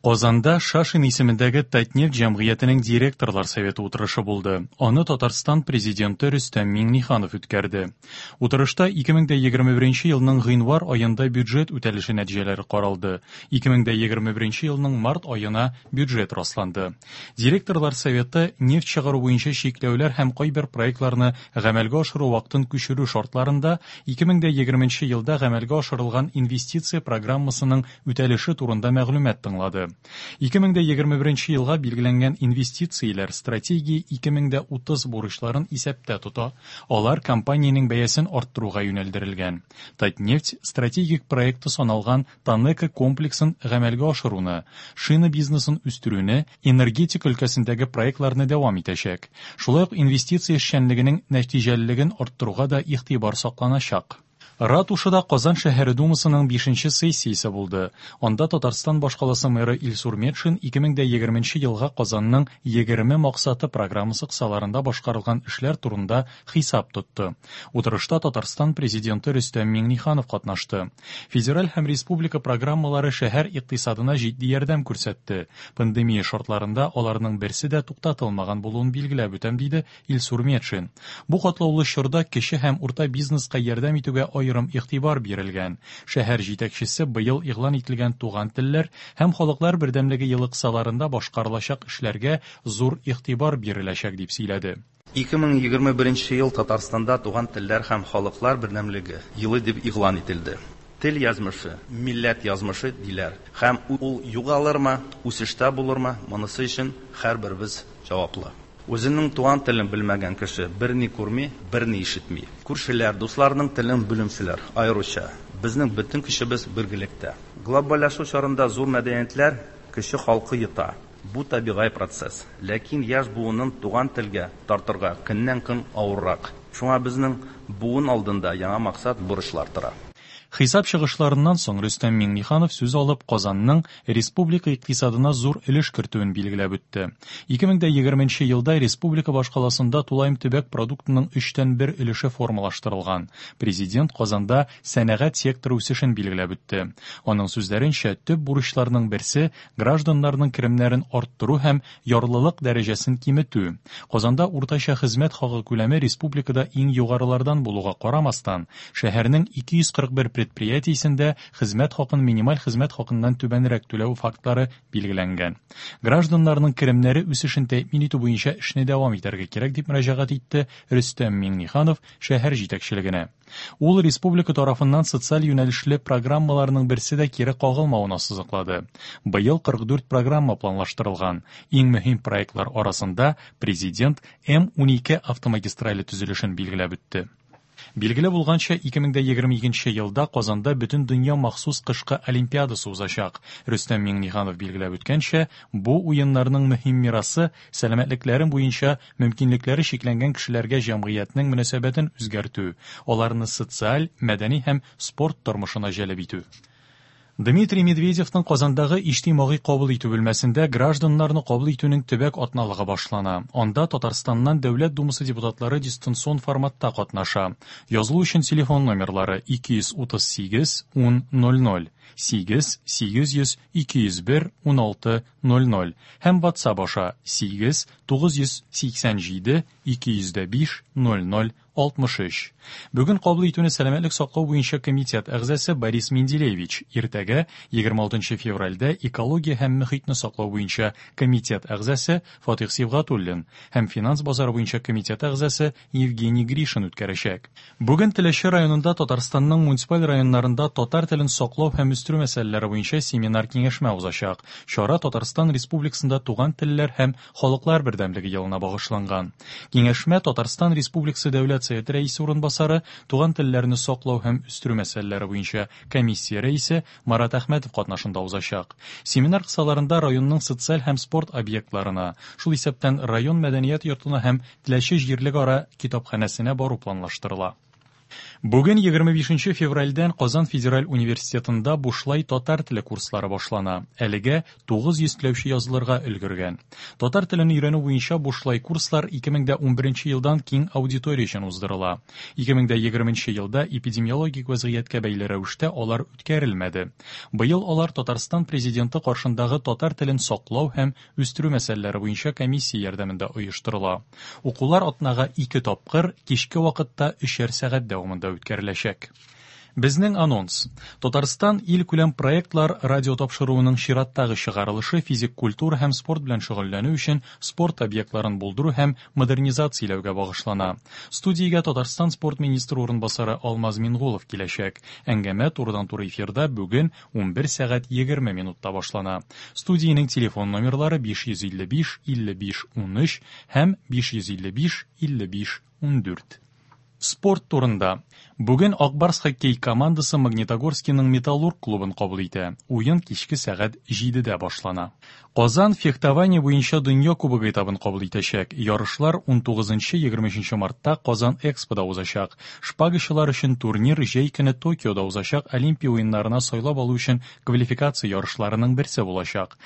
Казанда Шашин исемендәге Татнефть җәмгыятенең директорлар советы утырышы булды. Аны Татарстан Президенты Рөстәм Миңнеханов үткәрде. Утырышта 2021 елның гыйнвар аенда бюджет үтәлеше нәтиҗәләре каралды. 2021 елның март аена бюджет расланды. Директорлар советы нефть чыгару буенча чикләүләр һәм кайбер проектларны гамәлгә ашыру вакытын күчерү шартларында 2020 елда гамәлгә ашырылган инвестиция программасының үтәлеше турында мәгълүмат тыңлады. 2021 елга билгеләнгән инвестицияләр стратегия 2030 бурычларын исәптә тота, алар компаниянең бәясен арттыруга юнәлдерелгән. Татнефть стратегик проекты саналган ТАНЕКО комплексын гамәлгә ашыруны, шина бизнесын үстерүне, энергетика өлкәсендәге проектларны дәвам итәчәк. Шулай ук инвестиция эшчәнлегенең нәтиҗәлелеген арттыруга да игътибар сакланачак. Ратушада Казан шәһәре Думасының бишенче сессиясе булды. Анда Татарстан башкаласы мэры Илсур Метшин 2020 елга Казанның 20 максаты программасы кысаларында башкарылган эшләр турында хисап тотты. Утырышта Татарстан Президенты Рөстәм Миңнеханов катнашты. Федераль һәм республика программалары шәһәр икътисадына җитди ярдәм күрсәтте. Пандемия шартларында аларның берсе дә туктатылмаган булуын билгеләп үтәм, диде Илсур Метшин. Бу катлаулы чорда кече һәм урта бизнеска ярдәм итүгә аерым игътибар бирелгән. Шәһәр җитәкчесе быел игълан ителгән Туган телләр һәм халыклар бердәмлеге елы кысаларында башкарылачак эшләргә зур игътибар биреләчәк, дип сөйләде. 2021 ел Татарстанда Туган телләр һәм халыклар бердәмлеге елы дип игълан ителде. Тел язмышы, милләт язмышы, диләр. Һәм ул югалырмы, үсештә булырмы, монысы өчен һәрберебез җаваплы. Үзенең туган телен белмәгән кеше берни күрми, берни ишетми. Күршеләр, дусларның телен белүчеләр, аеруча. Безнең бөтен көчебез бергелектә. Глобальләшү чорында зур мәдәниятләр кече халкы йота. Бу табигый процесс. Ләкин яшь буынын туган телгә тартырга көннән-көн авыррак. Шуңа безнең буын алдында яңа максат, бурычлар тора. Хисап чыгышларыннан соң Рөстәм Миңнеханов сүз алып, Казанның республика икътисадына зур өлеш кертүен билгеләп үтте. 2020 елда республика башкаласында тулаем төбәк продуктының өчтән бер өлеше формалаштырылган. Президент Казанда сәнәгать секторы үсешен билгеләп үтте. Аның сүзләренчә, төп бурычларның берсе гражданнарның керемнәрен арттыру һәм ярлылык дәрәҗәсен киметү. Казанда уртача хезмәт хакы күләме республикада иң югарылардан булуга карамастан, шәһәрнең 241 предприятиесендә хезмәт хакын минималь хезмәт хакыннан түбәнрәк түләү фактлары билгеләнгән. Гражданнарның керемнәре үсешен тәэмин итү буенча эшне дәвам итәргә кирәк, дип мөрәҗәгать итте Рөстәм Миңнеханов шәһәр җитәкчелегенә. Ул республика тарафыннан социаль юнәлешле программаларның берсе дә кире кагылмавын ассызыклады. Быел 44 программа планлаштырылган. Иң мөһим проектлар арасында Президент М-12 автомагистрале төзелешен билгеләп үтте. Билгеле булганча, 2022 елда Казанда Бөтендөнья махсус кышкы олимпиадасы узачак. Рөстәм Миңнеханов билгеләп үткәнчә, бу уеннарның мөһим мирасы сәламәтлекләре буенча мөмкинлекләре чикләнгән кешеләргә җәмгыятьнең мөнәсәбәтен үзгәртү, аларны социаль, мәдәни һәм спорт тормышына җәлеп итү. Дмитрий Медведевның Казандагы иҗтимагый кабул итү бүлмәсендә гражданнарны кабул итүнең төбәк атналыгы башлана. Анда Татарстаннан Дәүләт Думасы депутатлары дистанцион форматта катнаша. Язылу өчен телефон номерлары 238 10 00, 8 800 201 16 00 һәм WhatsApp аша 8 987 205 00 63. Бүген кабул итүне сәламәтлек саклау буенча комитет әгъзасы Борис Менделеевич, иртәгә, 26 февральдә экология һәм мөхитне саклау буенча комитет әгъзасы Фатих Сибгатуллин һәм финанс базары буенча комитет әгъзасы Евгений Гришин үткәрәчәк. Бүген Теләче районында Татарстанның муниципаль районнарында татар телен саклау һәм үстерү мәсьәләләре буенча семинар-киңәшмә узачак. Чара Татарстан Республикасында туган телләр һәм халыклар бердәмлеге елына багышланган. Киңәшмә Татарстан Республикасы Дәүләт Советы Рәисе урынбасары, туган телләрне саклау һәм үстерү мәсьәләләре буенча комиссия рәисе Марат Әхмәтов катнашында узачак. Семинар кысаларында районның социаль һәм спорт объектларына, шул исәптән район мәдәният йортына һәм Теләче җирлекара китапханәсенә бару планлаштырыла. Бүген 25 февральдән Казан федераль университетында бушлай татар теле курслары башлана. Әлегә 900 теләүче язылырга өлгергән. Татар телен өйрәнү буенча бушлай курслар 2011 елдан киң аудитория өчен уздырыла. 2020 елда эпидемиологик вәзгыятькә бәйле рәвештә алар үткәрелмәде. Быел алар Татарстан Президенты каршындагы татар телен саклау һәм үстерү мәсьәләләре буенча комиссия ярдәмендә оештырыла. Укулар атнага ике тапкыр, кичке вакытта өчәр сәгать дәвамында үткәреләчәк. Безнең анонс. Татарстан илкүләм проектлар радио тапшыруының чираттагы чыгарылышы физик культура һәм спорт белән шөгыльләнү өчен спорт объектларын булдыру һәм модернизацияләүгә багышлана. Студиягә Татарстан спорт министры урынбасары Алмаз Мингулов киләчәк. Әңгәмә турыдан-туры эфирда бүген 11 сәгать 20 минутта башлана. Студиянең телефон номерлары 555 55 13 һәм 555 55 14. Спорт турында. Бүген Ак Барс хоккей командасы Магнитогорскиның Металлург клубын кабул итә. Уен кичке сәгать 7дә башлана. Казан фехтование буенча дөнья кубогы этабын кабул итәчәк. Ярышлар 19-23 мартта Казан Экспода узачак. Шпагачылар өчен турнир җәй көне Токиода узачак Олимпия уеннарына сайлап алу өчен квалификация ярышларының берсе булачак.